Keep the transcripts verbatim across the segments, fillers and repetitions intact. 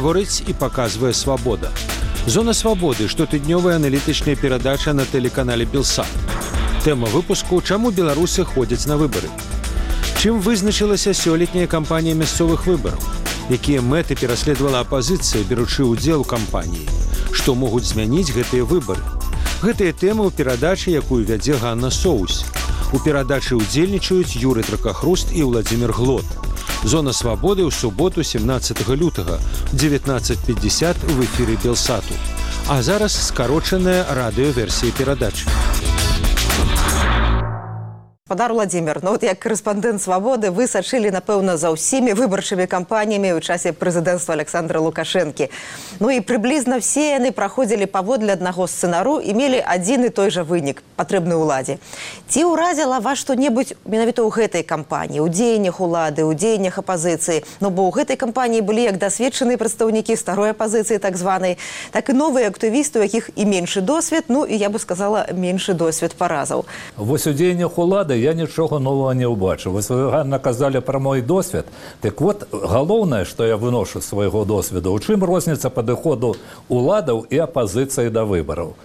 Гаворыць і паказвае «Свабода». «Зона свабоды» – штотыднёвая аналітычная перадача на тэлеканале «Белсат». Тэма выпуску – чаму беларусы ходзяць на выбары. Чым вызначылася сёлетняя кампанія мясцовых выбараў? Якія мэты пераследавала апазіцыя, беручы ўдзел у кампаніі? Што могуць змяніць гэтыя выбары? Гэтыя тэмы ў перадачы, якую вядзе Ганна Соус. У перадачы ўдзельнічаюць Юрый Дракахруст і Владзімір Глот. «Зона свабоды» ў суботу сямнаццатага лютага ў дзевятнаццаць пятьдесят в эфіры Белсату. А зараз скарочаная радыёверсія перадачы. Гаспадар Владзімір, ну вот як корэспандэнт «Свабоды» вы сачылі, напэўна, за ўсімі выбарчымі кампаніямі ў часе прэзідэнцтва Александра Лукашэнкі. Ну і прыблізна все яны праходзілі паводле аднаго сцэнару і мелі адзін і той жа вынік, патрэбны ўладзе. Ці ўразіла вас што-небудзь менавіта ў гэтай кампаніі, у дзеяннях улады, у дзеяннях апазіцыі? Ну бо ў гэтай кампаніі былі як дасведчаныя прадстаўнікі старой апазіцыі, так званай, так і новыя актывісты, у якіх і меншы досвед, ну і я бы сказала, меншы досвед паразаў. Вось у дзеяннях улады я нічога нового не ўбачыў. Вось вы, Ганна, казалі пра мой досвед. Так вот, галоўнае, што я выношу свайго досведу, у чым розніца падыходу уладаў і апазіцыі да выбараў.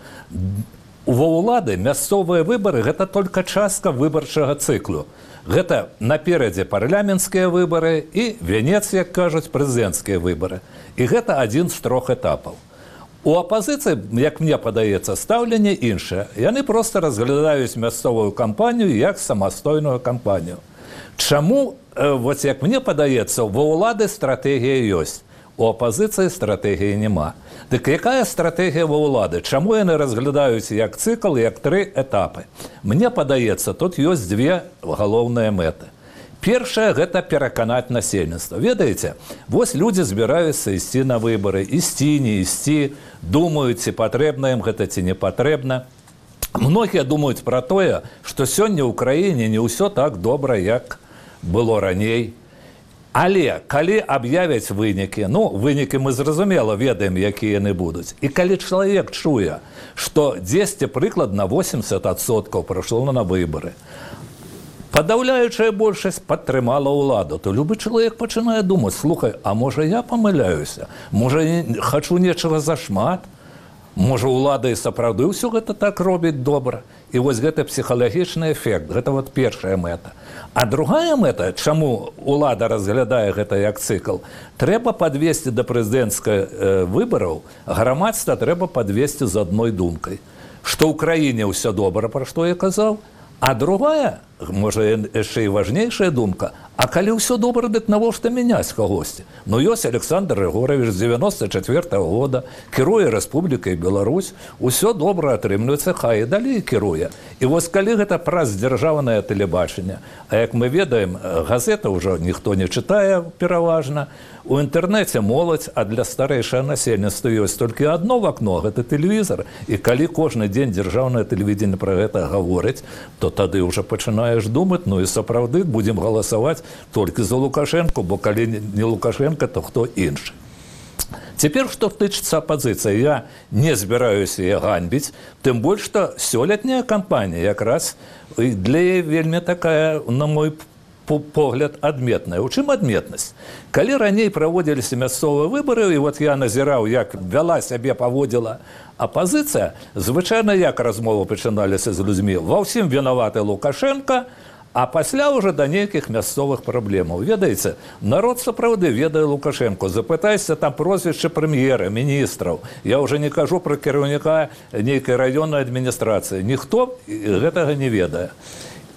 Ува улады мясцовыя выбары – гэта толькі частка выбарчага цыклу. Гэта наперадзе парламенцкія выбары і венец, як кажуць, прэзідэнцкія выбары. І гэта адзін з трох этапаў. У апазіцыі, як мне падаецца, стаўленне іншае. Яны проста разглядаюць мясцовую кампанію як самастойную кампанію. Чаму, вот як мне падаецца, ва ўлады стратэгія ёсць, у апазіцыі стратэгіі няма. Дык якая стратэгія ва ўлады? Чаму яны разглядаюць як цыкл, як тры этапы? Мне падаецца, тут ёсць дзве галоўныя мэты. Першае – гэта пераканаць насельніцтва. Ведаеце, вось людзі збіраюцца ісці на выбары, ісці, не ісці, думаюць, ці патрэбна ім гэта, ці не патрэбна. Многія думаюць пра тое, што сёння ў краіне не ўсё так добра, як было раней. Але калі аб'явяць вынікі, ну, вынікі мы зразумела ведаем, якія яны будуць. І калі чалавек чуе, што дзесьці прыкладна восемьдесят адсоткаў прайшло на выбары, падаўляючая большасць падтрымала ўладу, то любы чалавек пачынае думаць, слухай, а можа я памыляюся? Можа, хачу нечага зашмат? Можа, ўлада і сапраўды ўсё гэта так робіць добра? І вось гэта псіхалагічны эфект, гэта вот першая мэта. А другая мэта, чаму ўлада разглядае гэта як цыкл, трэба падвесці да прэзідэнцкіх выбараў, грамадства трэба падвесці з адной думкай, што ў краіне ўсё добра, пра што я казаў, а другая, можа, яшчэ і важнейшая думка, а калі ўсё добра, дык навошта мяняць кагосьці? Ну, ёсць Александр Рыгорович з дзевяносто четвёртого года, кіруе Рэспублікай Беларусь, усё добра атрымліваецца, хай і далей кіруе. І вось калі гэта праз дзяржаўнае тэлебачанне, а як мы ведаем, газета ўжо ніхто не чытае пераважна, у інтэрнэце моладзь, а для старэйшага насельніцтва ёсць толькі адно вакно, гэта тэлевізор. І калі кожны дзень дзяржаўнае тэлевідзенне пра гэта гаворыць, то тады ўжо пачынаеш думаць, ну і сапраўды будзем галасаваць толькі за Лукашэнку, бо калі не Лукашэнка, то хто іншы. Цяпер, што тычыцца апазіцыі, я не збіраюся яе ганьбіць, тым больш, што сёлетняя кампанія якраз для яе вельмі такая, на мой погляд, адметная. У чым адметнасць? Калі раней праводзіліся мясцовыя выбары, і вот я назіраў, як вяла сябе, паводзіла апазіцыя, звычайна як размовы пачыналіся з людзьмі? Ва ўсім вінаваты Лукашенка, а пасля ўжо да нейкіх мясцовых праблемаў. Ведаеце, народ сапраўды ведае Лукашенко. Запытайся там прозвішча прэм'ера, міністраў. Я ўжо не кажу пра кіраўніка нейкай раённай адміністрацыі. Ніхто гэтага не ведае.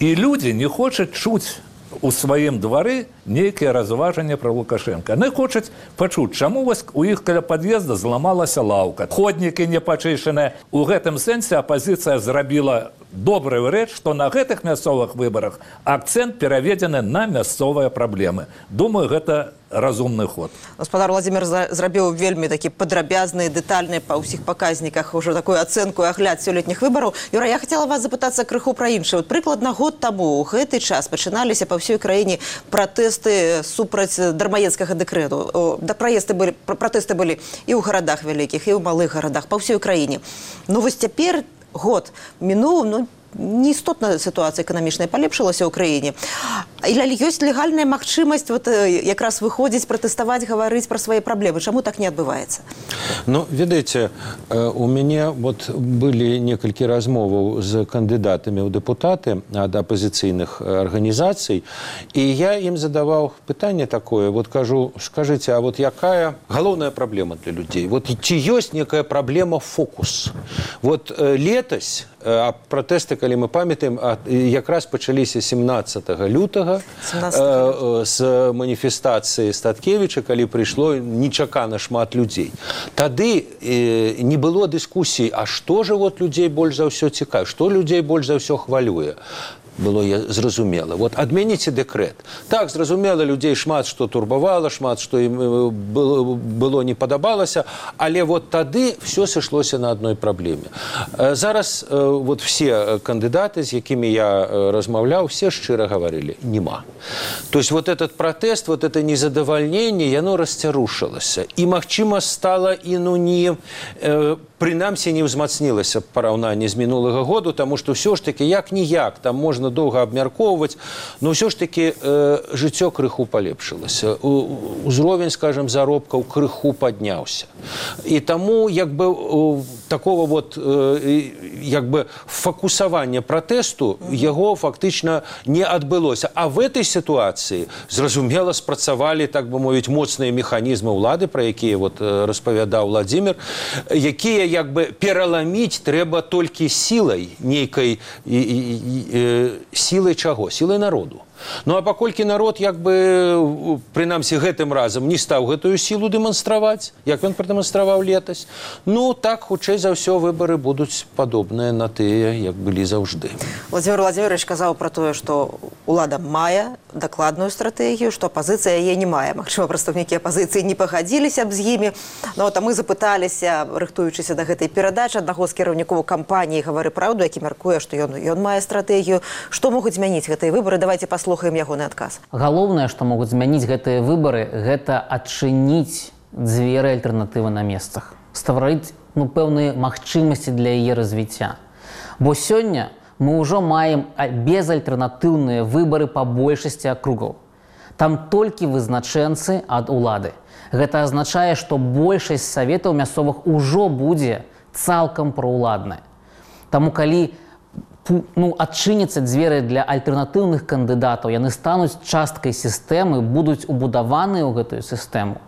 І людзі не хочуць чуць у сваім двары нейкія разважанні пра Лукашенка. Яны хочуць пачуць, чаму вось у іх каля пад'езда зламалася лаўка. Ходнікі не пачышаныя. У гэтым сэнсе апазіцыя зрабіла добрую рэч, што на гэтых мясцовых выбарах акцэнт пераведзены на мясцовыя праблемы. Думаю, гэта разумны ход. Гаспадар Владзімір зрабіў вельмі такі падрабязны, дэтальны па ўсіх паказніках уже такую ацэнку і агляд сёлетніх выбараў. Юра, я хацела вас запытацца крыху пра іншае. Прыкладна год таму ў гэты час пачыналіся па ўсёй краіне пратэсты супраць дармаедскага дэкрэту. Пратэсты былі і ў гарадах вялікіх, і ў малых гарадах, па ўсёй краіне. Ну вось цяпер год мінуў, ну, неістотна сітуацыя эканамічная палепшылася ў краіне. Или есть легальная магчымасць вот, якраз выходзіць, пратэставаць, гаварыць пра свае праблемы? Чаму так не адбываецца? Ну, ведаеце, у мяне вот былі некалькі размоваў з кандыдатамі ў дэпутаты ад апазіцыйных арганізацый, і я ім задаваў пытанне такое, вот кажу, скажыце, а вот якая галоўная праблема для людзей? Вот ці ёсць некая праблема фокус? Вот летась а пратэсты, калі мы памятаем, якраз пачаліся семнаццатага лютага з маніфестацыі Статкевіча, калі прыйшло нечакана шмат людзей. Тады не было дыскусій, а што ж вот людзей больш за ўсё цікавіць, што людзей больш за ўсё хвалюе? Было зразумела. Вот адменіце дэкрэт. Так, зразумела, людзей шмат што турбавала, шмат што ім было, было не падабалася, але вот тады все сышлося на адной праблеме. Зараз вот все кандыдаты, з якімі я размаўляў, все шчыра гаварылі: нема. То есть вот этот протест, вот это незадавальненне, яно расцярушылася. І, магчыма, стала і ну не... прынамсі не ўзмацнілася параўнанне з мінулага году, таму што ўсё ж такі як-ніяк, там можна доўга абмяркоўваць, но ўсё ж такі э, жыццё крыху палепшылася. Узровень, скажем, заробкаў крыху падняўся. І таму як бы такого вот э, як бы фокусавання пратэсту яго фактычна не адбылося. А в этой сітуацыі, зразумела, спрацавалі, так бы мовіць, моцныя механізмы ўлады, пра якія вот распавядаў Владзімір, якія як бы пераламіць трэба толькі сілай нейкай, і, і, і, сілай чаго? Сілай народу. Ну, а паколькі народ, як бы, прынамсі, гэтым разам не стаў гэтую сілу дэманстраваць, як ён прадэманстраваў летась, ну, так, хутчэй за ўсё, выбары будуць падобныя на тыя, як былі заўжды. Владимир Владимирович казаў пра тое, што ўлада мае дакладную стратэгію, што апазіцыя яе не мае. Магчыма, прадстаўнікі апазіцыі не пагадзіліся б з імі. Ну, а мы запыталіся, рыхтуючыся да гэтай перадачы, аднаго з кіраўнікоў кампаніі «Гавары праўду», які мяркуе, што ён, ён мае стратэгію. Што могуць змяніць гэтыя выбары? Давайте паслухаем слухаем ягоны адказ. Галоўнае, што могуць змяніць гэтыя выбары, гэта адчыніць дзверы альтэрнатывы на месцах, стварыць ну, пэўныя магчымасці для яе развіцця. Бо сёння мы ўжо маем безальтэрнатыўныя выбары па большасці акругаў. Там толькі вызначэнцы ад улады. Гэта азначае, што большасць саветаў мясцовых ужо будзе цалкам праўладная. Таму калі ну, адчыняцца дзверы для альтэрнатыўных кандыдатаў, яны стануць часткай сістэмы, будуць убудаваныя ў гэтую сістэму.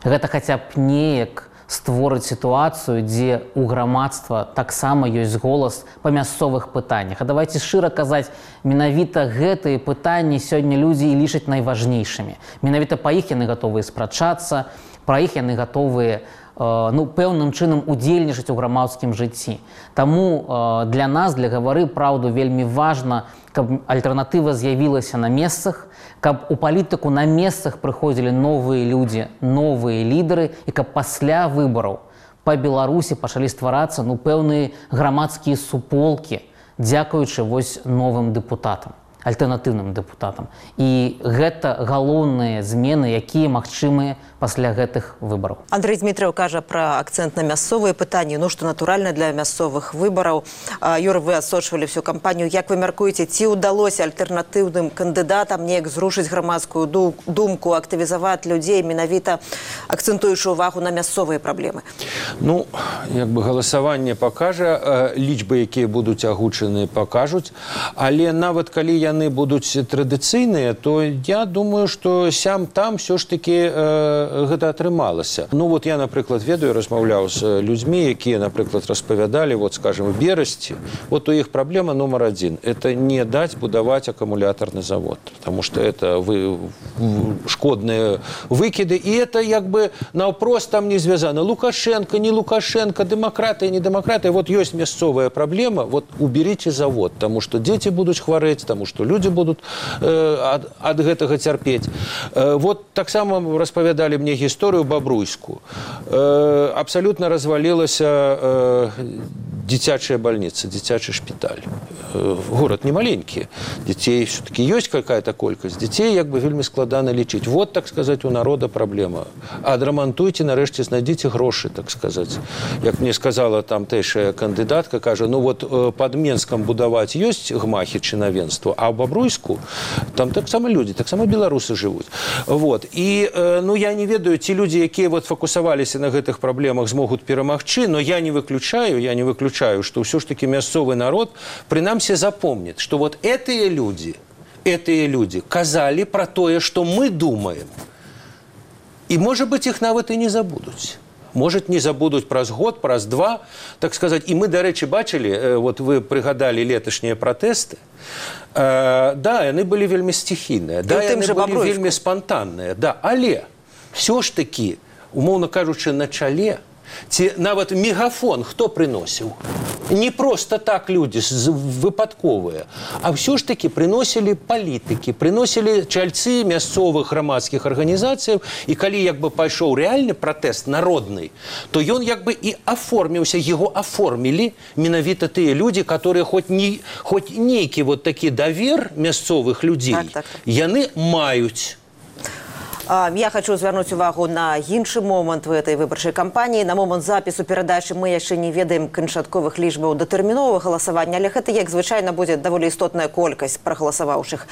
Гэта хаця б неяк створыць сітуацыю, дзе ў грамадства таксама ёсць голас па мясцовых пытаннях. А давайте шчыра казаць, менавіта гэтыя пытанні сёння людзі і лічаць найважнейшымі. Менавіта па іх яны гатовыя спрачацца, пра іх яны гатовыя ну, пэўным чынам удзельнічаць у грамадскім жыцці. Таму для нас, для «Гавары праўду», вельмі важна, каб альтэрнатыва з'явілася на месцах, каб у палітыку на месцах прыходзілі новыя людзі, новыя лідары, і каб пасля выбараў па Беларусі пачалі стварацца ну, пэўныя грамадскія суполкі, дзякуючы вось новым дэпутатам, альтэрнатыўным дэпутатам. І гэта галоўныя змены, якія магчымыя пасля гэтых выбараў. Андрей Дмитриев кажа пра акцэнт на мясцовыя пытанні, ну што натуральна для мясцовых выбараў. Юра, вы адсочвалі всю кампанію. Як вы мяркуеце, ці ўдалося альтэрнатыўным кандыдатам неяк зрушыць грамадскую думку, актывізаваць людзей, менавіта акцэнтуючы ўвагу на мясцовыя праблемы? Ну, як бы галасаванне пакажа, лічбы, якія будуць агучаны, пакажуць, але нават калі яны будуць традыцыйныя, то я думаю, што сям-там все ж таки гэта атрымалася. Ну вот я, напрыклад, ведаю, размаўляў з людзьмі, якія, напрыклад, распавядалі, вот, скажем, в Берасці, вот у іх праблема номер адзін – это не даць будаваць акумулятарны завод, потому что это вы, шкодныя выкіды, і это як бы наўпрост там не звязана. Лукашенко, не Лукашенко, дэмакратыя, не дэмакратыя. Вот ёсць мясцовая праблема, вот уберите завод, потому что дзеці будуць хварэць, потому что люди будут э, ад, ад гэтага цярпець. Э, вот таксама распавядалі мне гісторыю бабруйскую. Э, абсолютно развалілася э, Дзіцячая больница, дзіцячий шпіталь. Город не маленький. Детей все-таки есть какая-то колькость. Детей як бы вельмі складана лечить. Вот, так сказать, у народа проблема. Адрамантуйте, нарешті, знайдите гроши, так сказать. Як мне сказала там тэйшая кандидатка, кажа, ну вот под Менском будовать есть гмахи чынавенства, а в Бобруйску там так само люди, так само белорусы живут. Вот. И, ну, я не ведаю, те люди, якія вот фокусаваліся на гэтых проблемах, змогут перамагчы, но я не выключаю, я не выключаю, что все ж таки мясцовый народ, принамсі, запомнит, что вот этие люди, этие люди казали про тое, что мы думаем. И, может быть, их нават и не забудут. Может, не забудут праз год, праз два, так сказать. И мы, до речи, бачили, вот вы пригадали леташние протесты. Э, да, они были вельмі стихійныя, да, они были вельмі спонтанные, да, але все ж таки, умовно кажучи, на чале, ці нават мегафон хто приносіў? Не просто так люди выпадковыя, а все ж таки приносили палітыкі, приносили чальцы мясцовых грамадскіх арганізацыяў, і калі як бы пайшоў рэальны пратэст народны, то ён як бы і аформіўся, его аформілі менавіта тыя людзі, которые хоть не, хоть нейкі вот такі давер мясцовых людзей, так, так, так. яны маюць. Я хочу звярнуць увагу на іншы момант в этой выбарчай кампаніі. На момант запісу перадачы мы яшчэ не ведаем канчатковых лічбаў датэрміновага галасавання, але гэта, як звычайна, будзе даволі істотная колькасць прагаласаваўшых.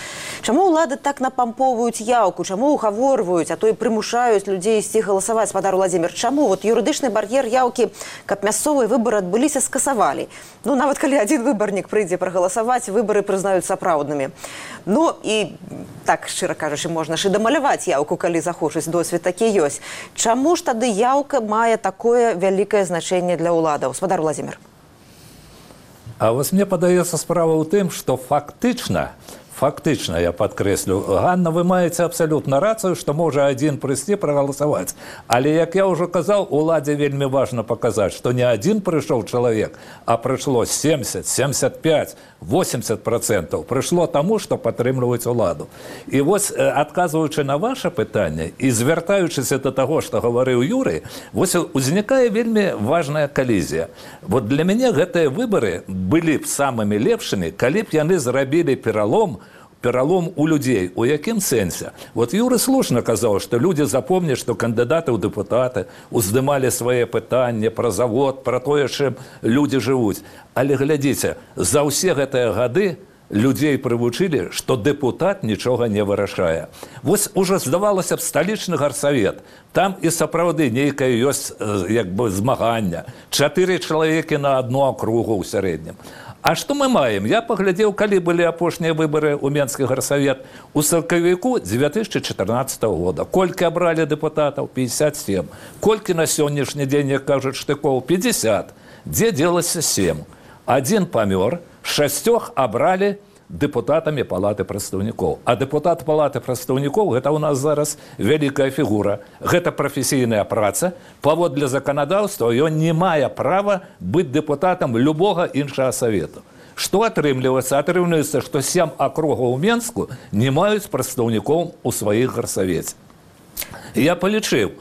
Чаму ўлады так напампоўваюць яўку, чаму ўгаворваюць, а то і прымушаюць людзей ісці галасаваць, спадар Уладзімір? Чаму вот юрыдычны бар'ер яўкі, каб мясцовыя выбары адбыліся, скасавалі? Ну, нават калі адзін выбарнік прыйдзе прагаласаваць, выбары прызнаюць сапраўднымі. Ну, і так, шчыра кажучы, можна ж і дамаляваць яўку, калі захочуць, досвед такі ёсць. Чаму ж тады яўка мае такое вялікае значэнне для ўладаў? Спадар Уладзімір. А вось мне падаецца справа ў тым, што фактычна, фактычна, я падкрэслю, Ганна, вы маеце абсалютна рацыю, што можа адзін прыйсці прагаласаваць. Але, як я ўжо казаў, уладзе вельмі важна паказаць, што не адзін прыйшоў чалавек, а прыйшло семьдесят, семьдесят пять, восемьдесят процентов. Прыйшло таму, што падтрымліваюць уладу. І вось, адказваючы на ваше пытанне і звяртаючыся да таго, што гаварыў Юрый, вось узнікае вельмі важная калізія. Вот для мяне гэтыя выбары былі б самымі лепшымі, калі б яны зрабілі пералом пералом у людзей. У якім сэнсе? Вот Юры слушна казаў, што людзі запомняць, што кандыдаты ў дэпутаты уздымалі свае пытанні пра завод, пра тое, чым людзі жывуць. Але глядзіце, за ўсе гэтыя гады людзей прывучылі, што дэпутат нічога не вырашае. Вось ужо здавалася б сталічны гарсавет. Там і сапраўды нейкае ёсць як бы змагання. Чатыры чалавекі на адну акругу ў сярэднім. А што мы маем? Я паглядзеў, калі былі апошнія выбары ў Менскі гарсавет у сакавіку две тысячи чатырнаццатого года. Колькі абралі дэпутатаў? пятьдесят семь. Колькі на сённяшні дзень, як кажуць, штыкоў? пятьдесят. Дзе делася семь? Адзін памёр, шасцёх абралі дэпутатамі палаты прадстаўнікоў. А дэпутат палаты прадстаўнікоў — гэта ў нас зараз вялікая фігура. Гэта прафесійная праца. Паводле заканадаўства ён не мае права быць дэпутатам любога іншага савету. Што атрымліваецца? Атрымліваецца, што сем акругаў у Менску не маюць прадстаўнікоў у сваіх гарсавеце. Я палічыў.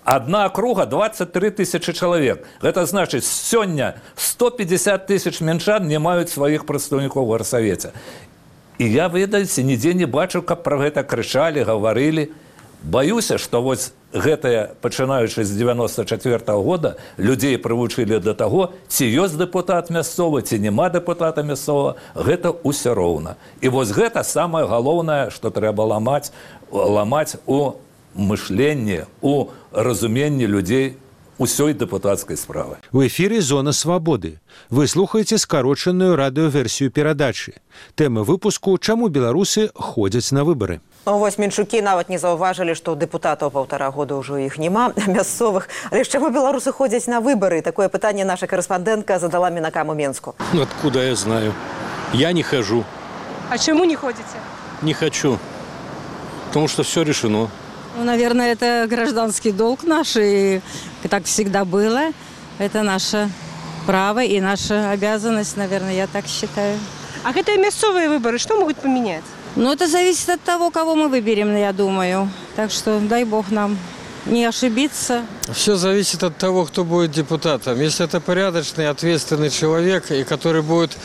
Одна округа — двадцать три тысячи человек. Это значит, сегодня сто пятьдесят тысяч менчан не маюць сваіх прадстаўнікоў у гарсавеце. І я, ведаеце, нідзе не бачу, каб пра гэта крычалі, гаварылі. Баюся, што вось гэтае, пачынаючы з девяносто четвёртого года, людзей прывучылі да таго, ці ёсць дэпутат мясцовы, ці няма дэпутата мясцовага, гэта ўсё роўна. І вось гэта самае галоўнае, што трэба ламаць, ламаць у мышленне, у разуменні людзей усёй дэпутацкай справы. В эфіры «Зона свабоды». Вы слухаеце скарочаную радыёверсію перадачы. Тэма выпуску «Чаму беларусы ходзяць на выбары». Вось менчукі нават не заўважылі, што дэпутатаў паўтара года ўжо іх няма, мясцовых. Але ж чаму беларусы ходзяць на выбары? Такое пытанне наша карэспандэнтка задала мінакам у Менску. Ну, откуда я знаю? Я не хожу. А чему не ходите? Не хочу. Потому что все решено. Ну, наверное, это гражданский долг наш, и так всегда было. Это наше право и наша обязанность, наверное, я так считаю. А это мясцовые выборы, что могут поменять? Ну, это зависит от того, кого мы выберем, я думаю. Так что дай бог нам не ошибиться. Все зависит от того, кто будет депутатом. Если это порядочный, ответственный человек, и который будет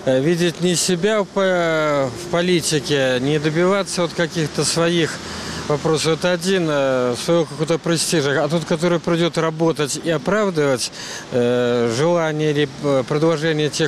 э, видеть не себя в, по- в политике, не добиваться вот каких-то своих вопросов, это один, э, своего какого-то престижа, а тот, который придет работать и оправдывать э, желание или э, предложение тех,